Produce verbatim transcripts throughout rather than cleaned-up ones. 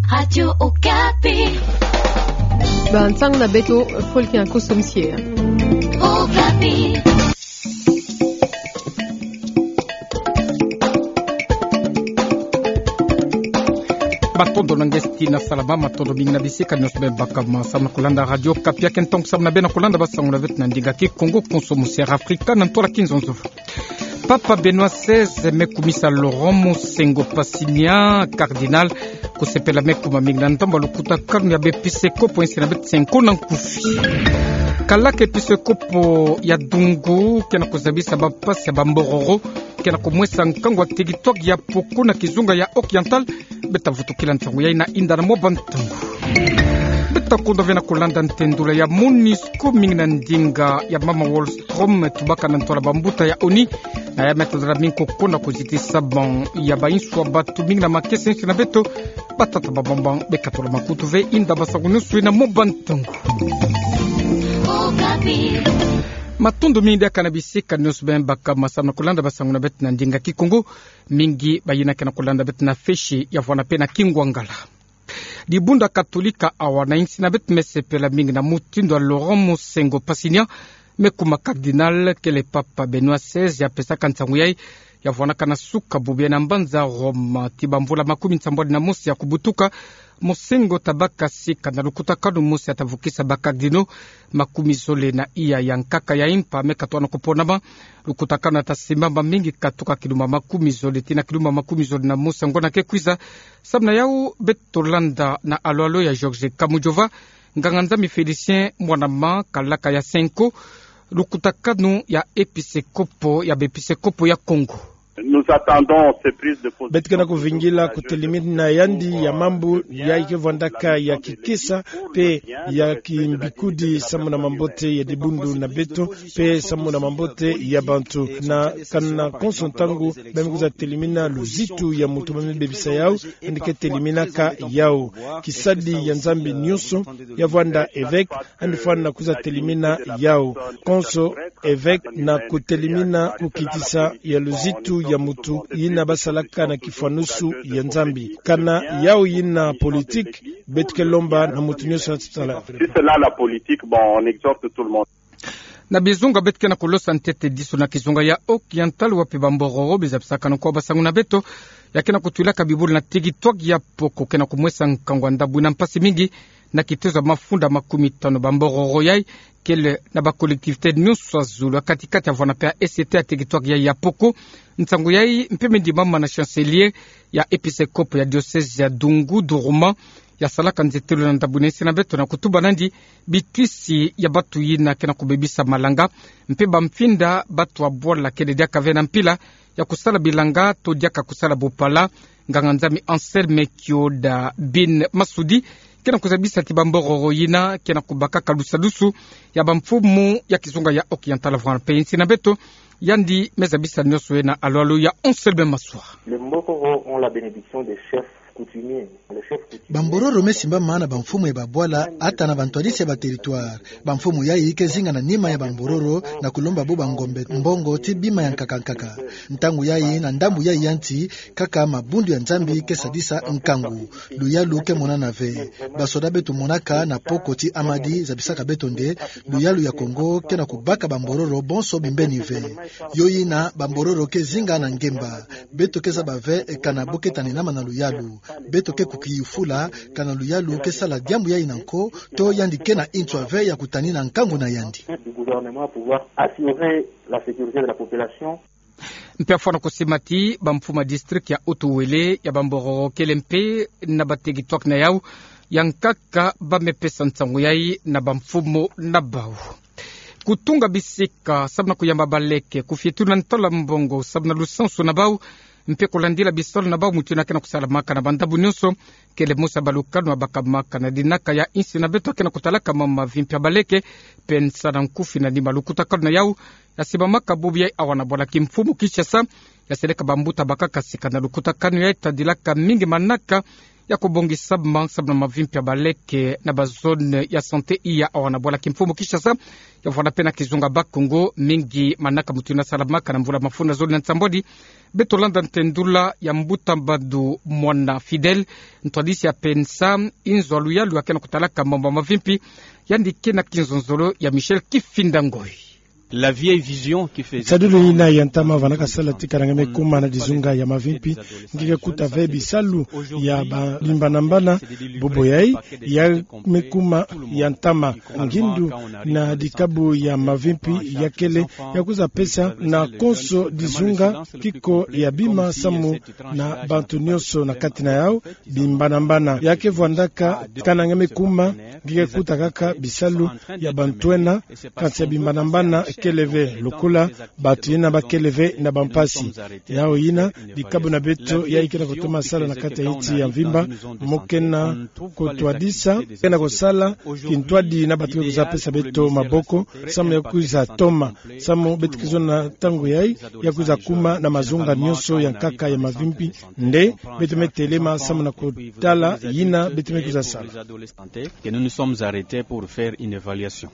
Radio Okapi. Ba nsang na beto, fo ki na kosomsie. Okapi. Matondo na ngeso ti na salama, matondo mingi na bisika nionso bem baka ma samu na kolanda Radio Okapi. Ake ntongo samu na bem na kolanda ba sango na beto na ndinga Kikongo, konso musiere Afrika na ntwala Kinzonzo. Papa Benoît seize me kumisa Laurent Monsengwo Pasinya, cardinal, kusepela me kuma mingi na ndambu ya lukutakanu ya baepisekopo ya insi na beto, senko na nkufi. Kalaka episekopo ya Dungu ke na kuzabisa bampasi ya bambororo ke na kumwesa nkangu wa teritware ya Poko na kizunga ya Oriental. Beta vutukila nsangu yayi na inda na mwa bantangu. Beta kunda ve na kolanda ntendula ya MONUSCO mingi na ndinga ya mama Wallström, tubaka na ntwala bambuta ya ONU, na ya me tazala mingi ko kona kuzitisa ban ya bainsu ya bantu mingi na makesa ya insi na beto, batata ba bambang. Beka tola makutu ve inda ba sango nionso na mwa bantangu. Matondo mingi diaka na bisika nionso bem baka ma samu na kolanda ba sango na beto na ndinga Kikongo. Mingi bayina ke na kolanda beto na fesi ya vwanda pe na Kingwangala. Dibundu Katolika awa na insi na beto me sepela mingi na mutindu ya Laurent Monsengwo Pasinya me kuma cardinal, kele Papa Benoît seize ya pesaka nsangu yayi, ya vwanaka na suka bubu yayi na mbanza Roma ti bamvula makumi nsambwadi na mosi ya kubutuka. Monsengwo tabaka sika na lukutakanu mosi ya tavukisa ba cardinaux makumi zole na iya ya nkaka ya impa me katoana kuponama. Lukutakanu ya tasimbama mingi katuka kilumbu makumi zole tii na kilumbu makumi zole na mosi ya ngonda ke kwiza. Samu na yawu beto landa na alwalo ya Georges Kamujova, nganga-nzambi Félicien Mwanama, kalaka ya senko lukutakanu ya episekopo ya baepisekopo ya Kongo. Nous attendons ces prises de position. Beto ke na kuvingila kutelimina yandi ya mambu yayi ke vwandaka ya kikisa pe ya kimbikudi samu na mambote ya dibundu na beto pe samu na mambote ya bantu. Na kana konso ntangu ba me kwiza telimina luzitu ya mutu ba me bebisa yawu, yandi ke teliminaka yawu. Kisadi ya Nzambi nionso ya vwanda évêque, yandi fwana kwiza telimina yawu. Konso évêque na kutelimina kukitisa ya luzitu ya mutu yina basalaka na kifwanusu ya Nzambi. Kana yawu yina politique, beto ke lomba na mutu nionso ya sala. Si c'est là la politique, bon, on exhorte tout le monde. Na bizunga beto ke na kulosa ntete disu na kizunga ya Oriental, wapi bambororo bizabisaka na kwa ba sango na beto ya ke na kutwilaka bibulu na teritware ya Poko ke na kumwesa nkangu wa ndambu yina mpasi mingi. Na kitezo ya mafunda makumi tanu bambororo yayi kele na ba collectivités nionso ya zulu, ya kati-kati ya vwanda pe ya est ya teritware yayi ya Poko. Nsangu yayi mpe me ndimama na chancelier ya episekopo ya diocèse ya Dungu Duruma, ya salaka nzetelo na ndambu yina insi na beto na kutuba nandi bitwisi ya bantu yina ke na kubebisa malanga mpe bamfinda bantu ya bwala kele diaka ve na mpila ya kusala bilanga to diaka kusala bopala. Nganga-nzambi Anselme Kioda bin Masudi ke na kuzabisa ti bambororo yina ke na kubakaka lusadusu ya bamfumu ya kizunga ya Oriental vwanda pe insi na beto. Yandi me zabisa nionso ye na alwalo ya Anselme Maswa. Les Mbororo ont la bénédiction des chefs coutumiers. Les chefs coutumiers. Bambororo me simbama na bamfumu ya babwala, ata na bantwadisi ya ba territoire. Bamfumu yayi ke zinga na nima ya bambororo na kulomba bo bangombe, mbongo ti bima ya nkaka nkaka. Ntangu yayi na ndambu yayi ya nti, kaka mabundu ya Nzambi ke sadisa nkangu. Luyalu ke monana ve. Basoda beto monaka na Poko ti Amadi zabisaka beto nde luyalu ya Kongo ke na kubaka bambororo bonso bimbeni ve. Yo yina bambororo ke zinga na ngemba. Beto ke zaba ve kana bo ke taninama na luyalu. Beto ke kukiyufula kana luyalu ke sala diambu yayi na nko, to yandi ke na nswa ve ya kutanina nkangu na yandi. Du gouvernement pour pouvoir assurer la sécurité de la population. Mpe ya fwana kusima ti bamfumu ya district ya Haut-Uélé ya bambororo kele mpe na ba territoire na yawu ya nkaka ba me pesa nsangu yayi na bamfumu na bawu. Kutunga bisika samu na kuyamba baleke, kufietula ntwala mbongo samu na lusansu na bawu, mpe kulandila bisalu na bawu mutu yina ke na kusalamaka na bandambu nionso, kele mosi ya balukanu ya bakamaka na dinaka ya insi na beto ke na kutalaka mama mavi mpe ya baleke. Mpe nsa na nkufi na nima lukutakanu na yawu ya simbamaka bubu yayi awa na bwala kimfumu Kinshasa, ya seleka bambuta bakaka sika na lukutakanu yayi tadilaka mingi manaka ya kobongisa bima samu na mavimpi ya baleke na bazone ya santé iya awa na bwala kimfumu Kinshasa. Ya vwanda pe na kizunga Bas-Congo, mingi manaka mutindu nasalamaka na mvula mafunda zole na nsambwadi. Beto landa ntendula ya mbuta Mbadu Mwana Fidèle, ntwadisi ya pensa inzo ya luyalu ya kena kutalaka mambu ya mavimpi. Yandi ke na kinzonzolo ya Michel Kifinda Ngoi. La vieille vision qui faisait... Nsadulu yina ya ntama vandaka sala ti kananga me kuma na dizunga ya mavimpi, nge ke kuta ve bisalu ya ba-, bimbanambana. Bobo yayi ya me kuma ya ntama. Ngindu na dikabu ya mavimpi ya kele ya kwiza pesa na konso dizunga kiko ya bima samu na bantu nyonso na kati na yau bimbanambana. Ya ke vwandaka kananga me kuma, nge ke kuta kaka bisalu ya bantwenia, kansi ya bimbanambana kele ve, lokola bantu yina ba kele ve na bampasi. Yau yina, dikabu na beto yayi ke na kutoma sala na kati ya insi ya mvimba, mo ke na kutwadisa, ke na kusala kintwadi na bantu me kwiza pesa beto maboko, samu ya kwiza toma, samu beto ke zonza ntangu yayi, ya kwiza kuma na mazunga nyonso ya nkaka ya mavimpi, nde beto me telema samu na kutala yina beto me kwiza sala. Que nous nous sommes arrêtés pour faire une évaluation.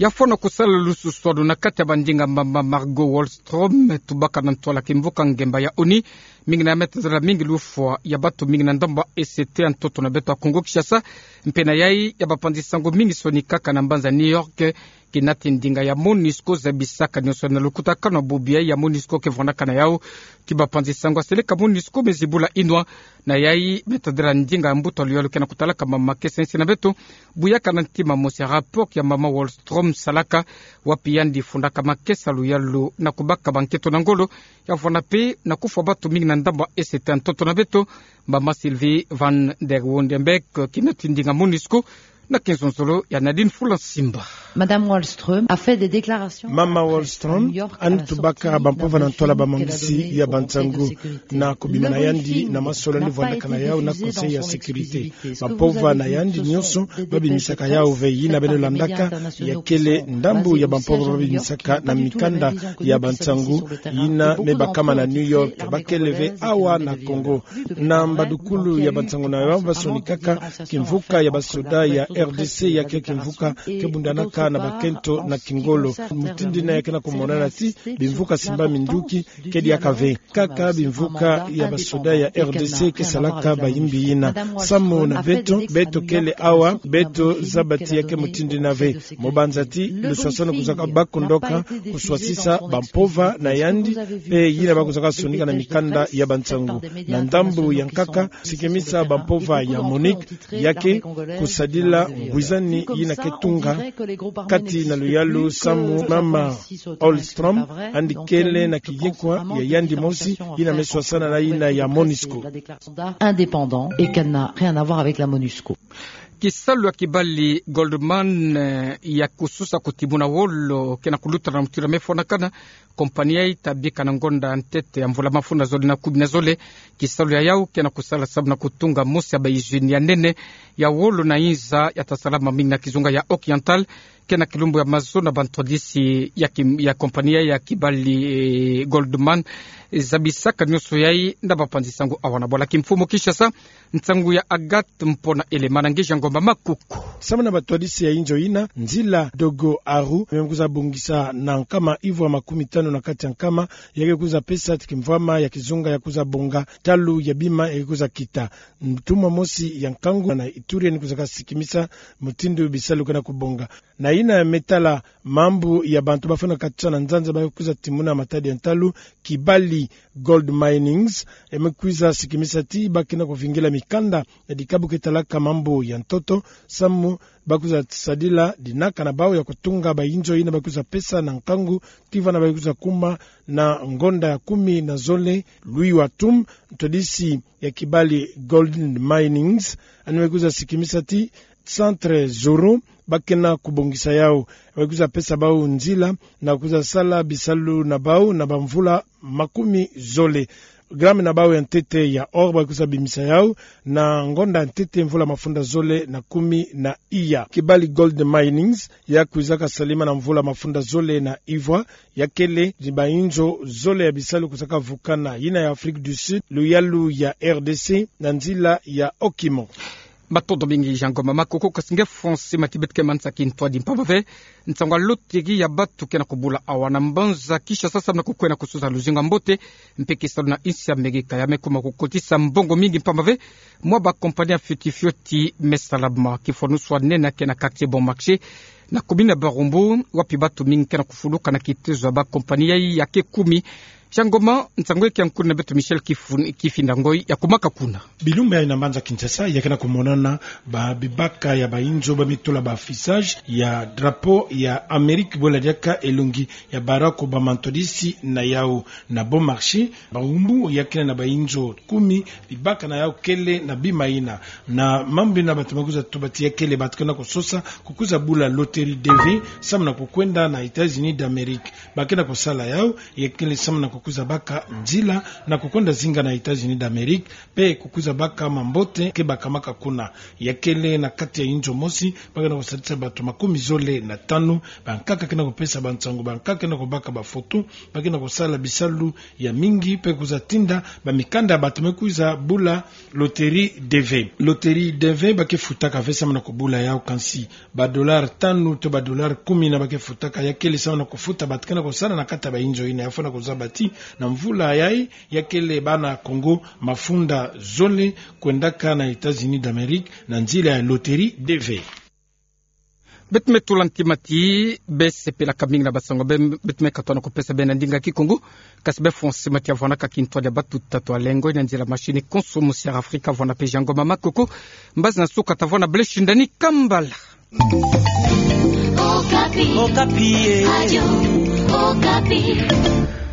Ya fwana kusala lususwanu na kati ya bandinga mama Margot Wallström, tubaka na ntwala kimvuka ngemba ya ONU, mingi na ya me tazala mingi lufwa ya bantu mingi na ndambu ya E C T ya ntoto na beto ya Kongo Kinshasa, mpe na yayi ya bapanzi sango mingi sonikaka na mbanza New York, kinati ndinga ya MONUSCO zabisaka nyonso na lukutakanu na bubu yayi ya MONUSCO ke vwandaka na yau. Ti bapanzi sango ya seleka MONUSCO me zibula inwa na yayi me tadila ndinga ya mbuta luyalu ke na kutalaka mama makesa insi na beto. Buyaka na ntima mosi ya rapport ya mama Wallström salaka, wapi yandi fundaka makesa luyalu na kubaka bankento na ngolo ya vwanda pe na kufwa bantu mingi na ndambu ya E C T ya ntoto na beto. Mama Sylvie van der Wondenberg, kinati ndinga MONUSCO, na kinzonzolo ya Nadine Fulansimba. Madame Wallström a fait des déclarations à la presse à New York à la sortie de son... Mama Wallström yandi tubaka bampova na ntwala bamongisi ya bansangu na kubima na yandi na masolo yandi vwandaka na yau na Conseil ya sécurité. Bampova na yandi nyonso ba bimisaka yau ve, yina beno landaka, ya kele ndambu ya bampova ba bimisaka na mikanda ya bansangu yina me bakama na New York. Ba kele ve awa na Congo. Na mbadukulu ya bansangu na yau ba sonikaka kimvuka ya basoda ya R D C, ya ke kimvuka ke bundanaka na bakento na kingolo. Mutindu yina ya ke na kumonana ti bimvuka simbami nduki, ke diaka ve. Kaka bimvuka ya basoda ya R D C ke salaka bayimbi yina. Samu na beto, beto kele awa, beto zaba ti ya ke mutindu yina ve. Mo banza ti luswaswanu kwizaka bâ kundoka, kuswasisa bampova na yandi, mpe yina ba kwizaka sonika na mikanda ya bansangu. Na ndambu ya nkaka, sikimisa bampova ya MONUC, ya ke kusadila ngwizani yina ke tunga kati na luyalu samu mama Wallström yandi kele na kiyekwa ya yandi mosi yina me swasana na yina ya MONUSCO. Indépendant et qu'elle n'a rien à voir avec la MONUSCO. Kisalu ya kibali Goldman, eh, ya kususa kutimuna wolo ke na kuluta na mutindu ya me fwanakana. Kompani yayi ta bika na ngonda ntete ya mvula mafunda zole na kumi na zole. Kisalu ya yau ke na kusala samu na kutunga mosi ya ba usine ya nene ya wolo na inza ya ta salama mingi na kizunga ya Occidental, ke na kilumbu ya mazo na bantwadisi ya ki-, ya kompani yayi ya kibali, eh, Goldman. Zabisaka nyonso yayi na bapanzi sango awa na bwala kimfumu Kinshasa. Nsangu ya Agathe Mpona Elema na Ngeja Ngomba Makuku. Samu na bantwadisi ya inzo yina, nzila Dogo Aru me kwiza bongisa na nkama ivwa makumi tanu na kati ya nkama, ya ke kwiza pesa ti kimvwama ya kizunga ya kwiza bonga talu ya bima ya ke kwiza kita. Ntumwa mosi ya nkangu na Ituri yandi kwizaka sikimisa mutindu bisalu ke na kubonga. Na yina me tala mambu ya bantu ba fwana katusa na nzanza ba kwiza timuna matadi ya ntalu, Kibali Gold Minings, ya me kwiza sikimisa ti ba ke na kuvingila mikanda ya dikabu ke talaka mambu ya ntoto, samu ba kwiza sadila dinaka na bau ya kutunga ba inzo yina ba kwiza pesa na nkangu, tii vana ba kwiza kuma na ngonda ya kumi na zole. Louis Watum, ntwadisi ya Kibali Gold Minings, yandi me kwiza sikimisa ti Centre Zoro, ba ke na kubongisa yau, ba kwiza pesa bau nzila na kwiza sala bisalu na bau na bamvula makumi zole. gramme na bawu ya ntete ya or ba kwiza bimisa yawu na ngonda ntete mvula mafunda zole na kumi na iya. Kibali Gold Minings, ya kwizaka salima na mvula mafunda zole na ivwa, ya kele ni bayinzo zole ya bisalu kwizaka vukana, yina ya Afrique du Sud, luyalu ya R D C, na nzila ya Okimo. Matondo mingi Jean Ngoma Makoko. Kasi nge François Mati, beto ke mansa kintwadi mpamba ve nsangu ya loterie ya batu ke na kubula awa na mbanza Kinshasa samu na kukwenda kusosa luzingu ya mbote mpe kisalu na insi ya Amerika. Ya me kuma kukotisa mbongo mingi mpamba ve mwa ba compagnie fioti fioti me salama. Kifwanusu ya nene ke na quartier Bon Marché, na commune ya Barumbu, wapi batu mingi ke na kufuluka na kitezo ya ba compagnie yayi ya ke kumi. Jean Ngoma, nsangu ke ya nkuna na beto Michel Kifun-, Kifinda Ngoi, ya kumaka kuna. Bilumbu yayi na mbanza Kinshasa, ya ke na kumonana ba bibaka ya bayinzo ba me tula ba affichage ya drapeau ya Amerika, bwela diaka elongi ya Barack Obama ntwadisi na yawu. Na Bon Marché, Barumbu, ya kele na bayinzo kumi, bibaka na yawu kele na bima yina. Na mambu yina batu me kwiza tuba ti ya kele batu ke na kusosa kukwiza bula loterie D V samu na kukwenda na États-Unis d'Amérique. Ba ke na kusala yawu, ya kele samu na kukwiza baka nzila na kukwenda zinga na États-Unis d'Amérique, mpe kukwiza baka mambote ke bakamaka kuna. Ya kele na kati ya inzo mosi, ba ke na kusadisa batu makumi zole na tanu, bankaka ke na kupesa bansangu, bankaka ke na kubaka bafoto, ba ke na kusala bisalu ya mingi, mpe kwiza tinda bamikanda ya batu me kwiza bula loterie D V. Loterie D V ba ke futaka ve samu na kubula yawu, kansi ba dollar tanu to ba dollar kumi yina ba ke futaka, ya kele samu na kufuta batu ke na kusala na kati ya bayinzo yina. Ya fwana kuzaba ti na mvula yayi, ya kele bana Kongo mafunda zole kwendaka na États-Unis d'Amérique na nzila ya loterie D V. Beto me tula ntima ti be sepelaka mingi na bansangu be, beto me katuka na kupesa beno na ndinga Kikongo. Kasi be François Mati ya vwanaka kintwadi ya batu tatu ya lengo, na nzila machine konso, Monsieur Afrika vwana pe Jean Ngoma Makoko. Mbazi na suka ta vwana Blaise Shindani Kambala. Okapi. Okapi, eh. Radio Okapi.